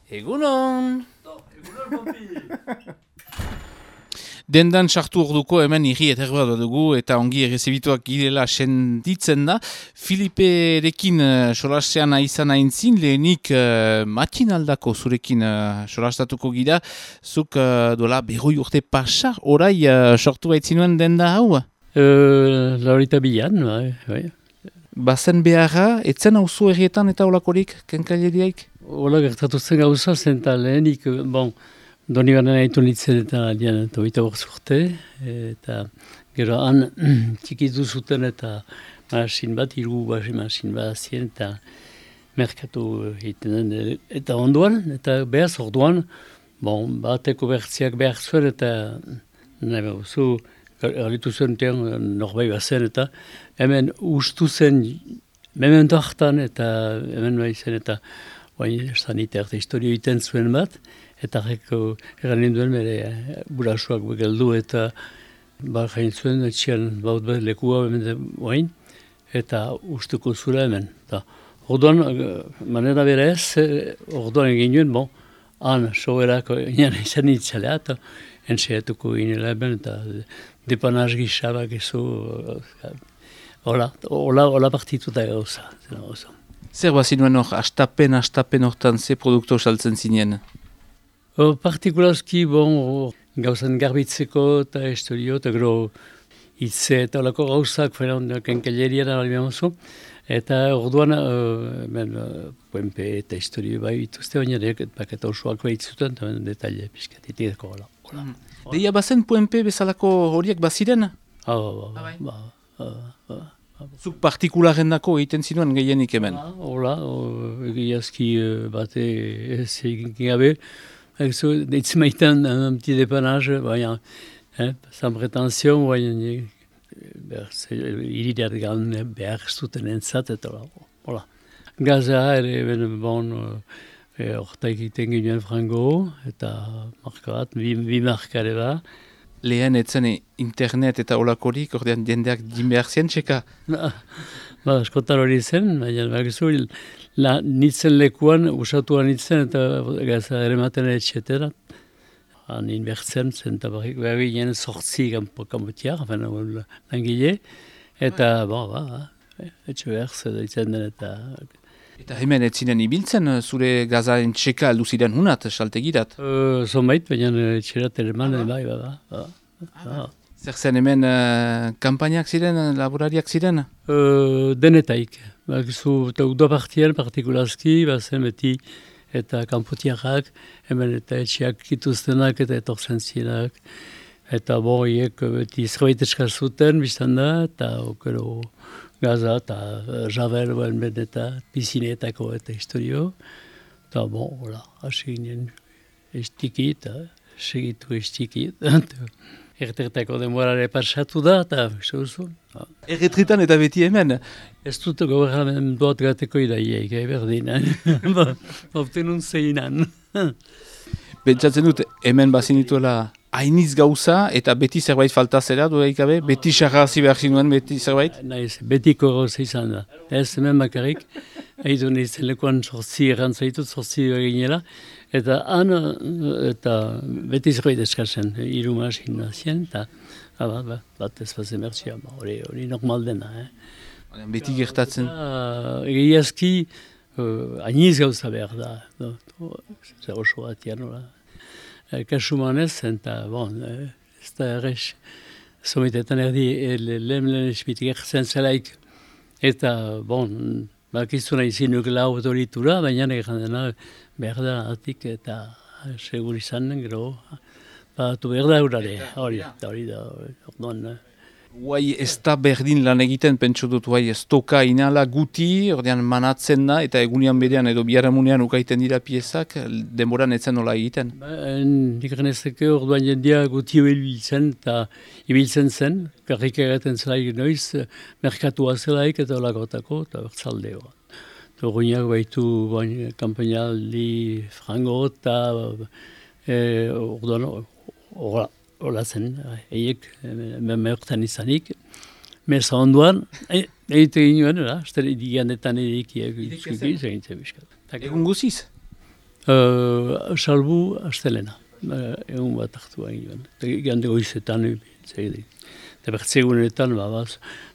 Egunon! Dendan sartu orduko hemen irri eterba dugu eta ongi errezibituak girela senditzen da. Filiperekin solasean izan aintzin, lehenik matinaldako zurekin solastatuko gira. Zuk dola berroi urte pasa, orai sortu baitzinuen denda hau? Laurita bilan, bai. Bazen beharra, etzen auzo errietan eta olakorik, kenkaileriaik? Ola gertatu zen gauza zen eta lehenik, doni banan haitu nintzen eta dian toita urte, eta gero han txikitu zuten eta masin bat, masin bat azien eta merkatu egiten den. Eta onduan, eta behaz orduan, bateko bertziak behar zuen eta nahi behuzu, galitu zuen norbait bazen eta hemen ustu zen, memento hartan eta hemen bai zen eta saniter eta historio egiten zuen bat, eta erran ninduen bere burasuak geldu eta jain zuen etxian baut bat lekua hemen eta ustuko zura hemen. Orduan, manera bere ez, orduan egin nuen, han soberako izan nintzalea eta entxeatuko ginela hemen eta depanaz gixabak ezo, hola partituta gauza. Zer bazinuen hor, astapen hortan ze produkto saltzen zinen? Partikulazki, gauzan garbitzeko eta historio, eta gero hitze eta olako gauzak, kenkailerian albian oso, eta orduan, puenpe eta historio bai bituzte, baina paketa osoak bahitzuten, eta detaile pixkatitik hola. Deia bazen puenpe bezalako horiek baziren? Zuk partikularendako egiten zinuen gehienik hemen? Hola, egiazki bate ez egin gabe. Deitzen maitan un petit dépannage, sans prétention, irideat gan behar zuten entzat, eta hola. Gaza ere, horta egiten ginen frango, eta marka bat, bi markare ba. Lehen etzen internet eta olakorik, ordean jendeak din behar zien, txeka? Askotan hori zen, baina bakizu, nitzen lekuan, usatuan nitzen, eta gaza ere maten etxetera. Han inbertzen zen, eta behar ginen sortzi kanpotiak, langile, eta etxe behar zeditzen den, eta... Eta hemen etzinen ibiltzen, zure gazaen txeka aldu ziren hunat, saltegirat? Zonbait, baina etxerat ere man, bai. Zer zen hemen kampainak ziren, laborariak ziren? Denetaik. Eta udo partien partikulazki, bazen beti eta kanpotiakak, hemen eta etxeak kituztenak eta etortzen zirenak. Eta hiek beti zerbait eskazuten biztan da, eta okero gaza eta jaber eta pizinetako eta historio. Eta hasi ginen estiki eta segitu estiki. Erretertako denborare pasatu da, eta zuzun. Erretretan eta beti hemen? Ez dut gobernamen duat gateko idaiek, berdin. Obtenun zeinan. Pentsatzen dut, hemen bazinituela hainiz gauza, eta beti zerbait falta zera, dudaikabe? Beti sarrazi behar zinuen, beti zerbait? Naiz, betiko gauza izan da. Ez hemen bakarrik, haitu nintzen lekuan sortzi errantzaitut, sortzi eginela, eta han, eta beti zerbait eskazen, irumasin nazien, eta bat ez bazen bertsia, hori normal dena. Beti gertatzen? Egiazki, hainiz gauza behar da, zer oso batian, kasumanez, eta ez da errez, somitetan erdi lehen esmitik erzen zelaik, eta bakizuna izinuk lau autoritura, baina egan dena behar da atik eta segur izan den, gero, batu behar da hori da, orduan. Guai ez da berdin lan egiten, pentsu dut, guai ez toka inala guti, ordean manatzen da, eta egunian berean edo biharamunean ukaiten dira piezak, denboran etzen nola egiten? Nik ganezeke orduan jendia guti ibiltzen zen, karrik egaten zelaik noiz, merkatua zelaik eta olakotako, eta bertzaldeo. Orduan baitu kampainaldi frango eta orduan hola zen, eiek, meurtan izanik. Meza onduan, egiten ginen, diganetan egikiak. Egun guziz? Salbu astelena. Egun bat hartu hain joan. Gande goizetan, eta bertzegunetan,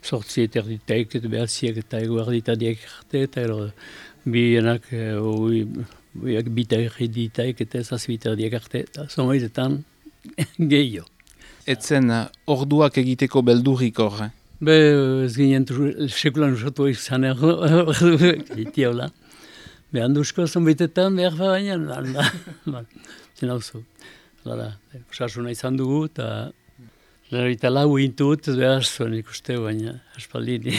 sortzi eterditaik, eta behatziak eta eguarditadiak arte, eta bienak, bitaik eta zazbitadiak arte, eta zomaitetan gehiago. Etzen orduak egiteko beldurrik hor, Ez ginen sekulan usatu izan egitea hola. Handuzko zonbitetan behar baina, zena oso. Osasuna izan dugu, eta lau intut, ez behar zuen ikuste, baina aspaldini.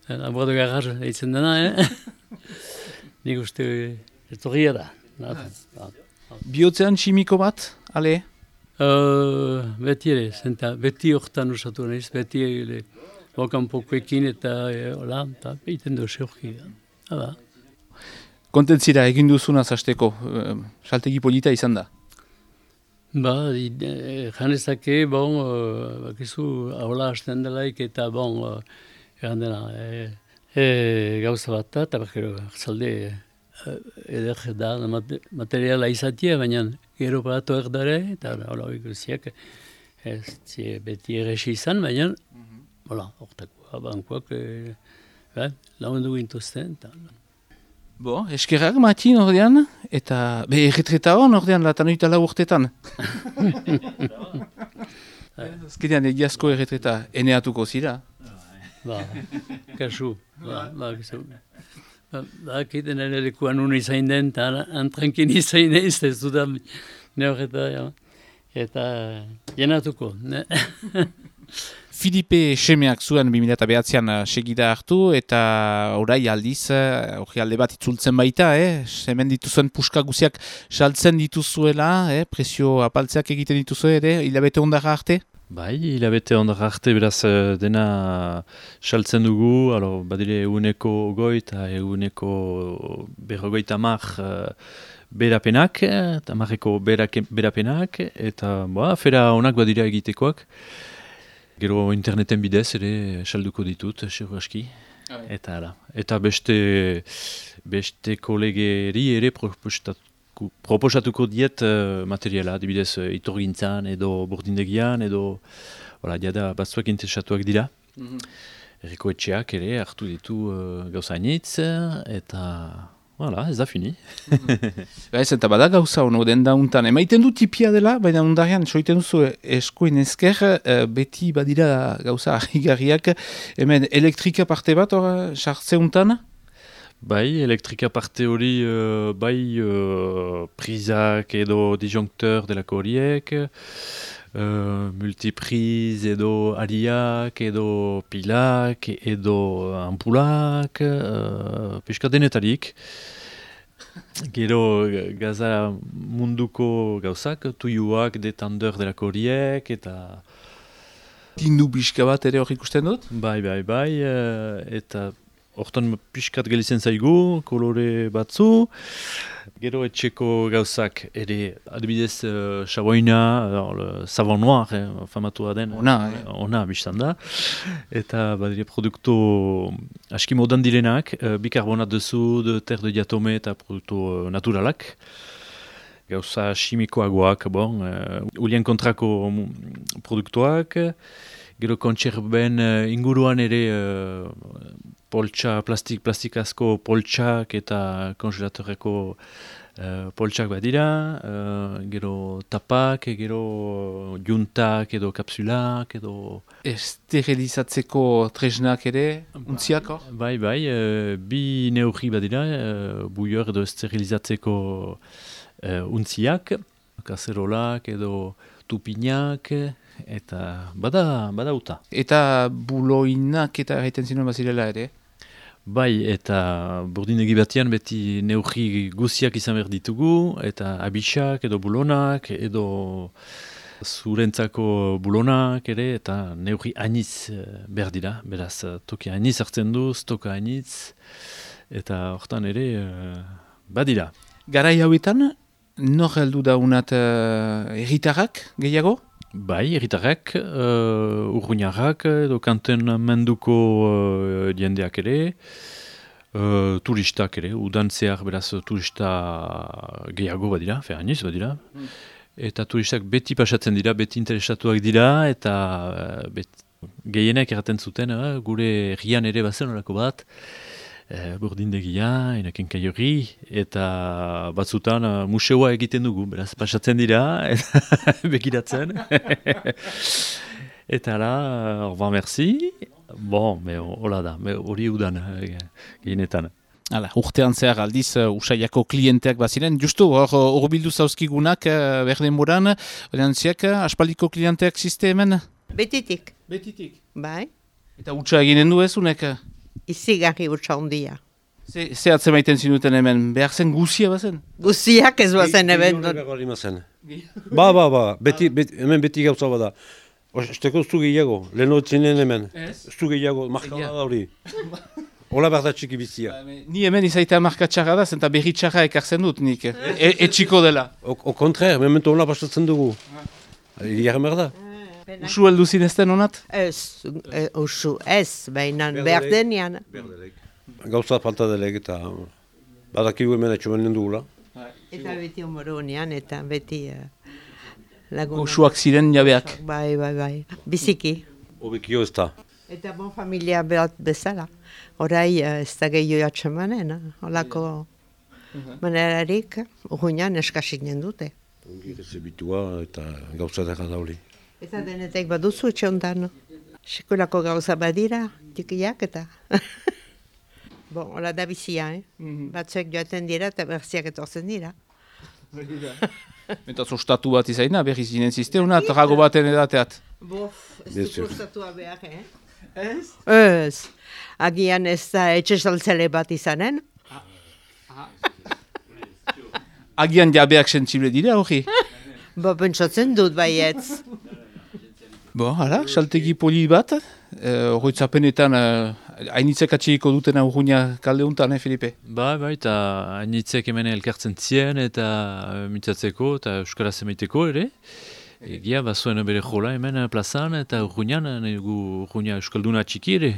Abordo garrar eitzen dena, nik uste etorria da. Bihotzean tximiko bat, ale? Beti ere, beti horretan usatu nahiz, beti bokanpokoekin eta hola, eta egiten du seurki. Kontentzira egin duzuna zasteko, saltegi polita izan da? Janezake, bakizu, hola hasten delaik eta egan dena, gauza bat da, eta bakero, zalde, eder da, materiala izatea, baina gero batu erdare, eta hola ikusiak, beti erresi izan, baina, hola, hortako, bankoak, lagundu gintuzten, eta... Eskerrak Matin ordean, eta erretreta hon ordean latanoita lau urtetan. Azkenean egiazko erretreta eneatuko zira. Kasu. Kiten ere lekuan unu izain den, eta antrankin izain ez dudan ne horreta, eta jenatuko. Filipe Semeak zuen 2009an segida hartu, eta orai aldiz, hori alde bat itzultzen baita, hemen dituzuen puska guziak saltzen dituzuela, presio apaltzeak egiten dituzue, hilabete ondara arte? Bai, hilabete ondara arte, beraz dena saltzen dugu, badire eguneko goi eta eguneko berrogeita mar berapenak, eta marreko berapenak, eta afera onak badira egitekoak. Gero interneten bidez ere salduko ditut, seguraski. Eta beste kolegeri ere proposatuko diet materiala, adibidez iturgintzan edo burdindegian edo jada batzuak interesatuak dira. Erriko etxeak ere hartu ditu gauzainitz eta... ez da fini. Eta bada gauza hono den dauntan. Emaiten du tipia dela, baina ondarean soiten duzu eskuin ezker, beti badira gauza ahigarriak. Hemen elektrika parte bat hor sartzeuntan? Bai, elektrika parte hori prizak edo disjonkteur delako horiek, multipriz edo aliak edo pilak edo ampulak, pixka denetarik. Gero gaza munduko gauzak, tuiuak, detandeur delako horiek eta... Tindu pixka bat ere hor ikusten dut? Bai, eta hortan pixkat gelitzen zaigu, kolore batzu. Gero etxeko gauzak ere, adibidez, xaboina, savon noir, famatua den, ona biztan da. Eta badire produktu aski modan direnak, bikarbonat de sud, ter de diatome eta produktu naturalak. Gauza chimikoagoak, ulien kontrako produktuak. Gero kontserben inguruan ere plastikazko poltsak eta kongelatoreko poltsak badira, gero tapak, gero juntak edo kapsulak edo... Esterilizatzeko tresnak ere, untziak hor? Bai, bi neurri badira, buior edo esterilizatzeko untziak, kaserolak edo tupinak, eta bada uta. Eta buloinak eta erraiten zinuen bazirela ere? Bai, eta burdinegi batean beti neurri guziak izan behar ditugu, eta abisak edo bulonak, edo zurentzako bulonak ere, eta neurri hainiz behar dira. Beraz, toki hainiz hartzen du, stoka hainiz, eta hortan ere badira. Garai hauetan, nor heldu daunat herritarrak gehiago? Bai, herritarrak, urruñarrak edo kanten menduko jendeak ere. Turistak ere, udan zehar beraz turista gehiago badira, hainiz badira. Eta turistak beti pasatzen dira, beti interesatuak dira, eta gehienek erraten zuten, gure herrian ere bazen horako bat, burdindegia, enaken kaiorri, eta batzutan museoa egiten dugu, beraz pasatzen dira, eta begiratzen. Eta la, au revoir, merci. Bon, hola da, hori udan gehienetan. Hala, urtean zehar aldiz usaiako klienteak baziren. Justu, hor bildu zauzkigunak berden moran, orientziak aspaldiko klienteak ziste hemen? Betitik. Betitik. Bai. Eta utxa eginen du ez unek? Izigarri utxa ondia. Ze atzemaiten zinuten hemen, behar zen guzia bazen? Guziak ez bazen eben. Ba, hemen beti gauza bada. Esteko zu gehiago, leheno zinen hemen. Zu gehiago, markala da hori. Ola behar da txiki bizia. Ni hemen izaitea markatxarra da, zenta berri txarra ekartzen dut nik. Etxiko dela. O kontraire, memento ona pasatzen dugu. Iarren behar da. Usu heldu zinezten honat? Usu ez, baina behar denian. Gauza falta delek eta badakigu hemen etxomanen dugula. Eta beti omoronian, eta beti laguna. Usuak ziren jabeak. Bai. Biziki. Obekio ez da. Eta bon familia bat bezala. Horai ez da gehiago atxemanen, holako manerarik, urruinan eskasik dute. Ongi rezebitua eta gauza dara da hori. Eta denetek baduzu etxe ondan. Sekulako gauza badira, tikiak eta... Bon, hola da bizia, Batzuek joaten dira eta berziak etortzen dira. Eta zostatu bat izaina, berri zinen zizteuna, trago baten edateat. Bof, ez du zostatua behar, Ez. Agian ez da etxe saltzele bat izanen. Agian jabeak sentsible dira, hori? Bo, pentsatzen dut baietz. Bo, hala, saltegi poli bat, horretzapenetan hainitzek atxeiko duten urruina kalde untan, Filipe? Bai, eta hainitzek hemen elkartzen zien eta mitzatzeko eta euskaraz emaiteko ere. Egia, bazuen bere jola hemen plazan eta urruinan, urruina euskalduna txiki ere.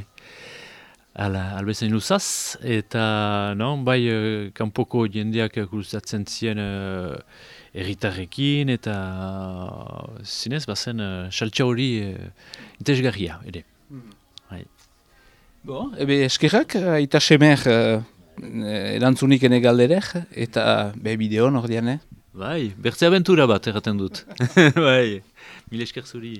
Albezain luzaz, eta bai kanpoko jendeak gustatzen zien erritarrekin eta zinez bazen saltsa hori interesgarria ere. Bo, ebe eskerrak, eta semer erantzunik ene galderek, eta bideon ordean, Bai, bertze abentura bat erraten dut. Bai, mil esker zuri.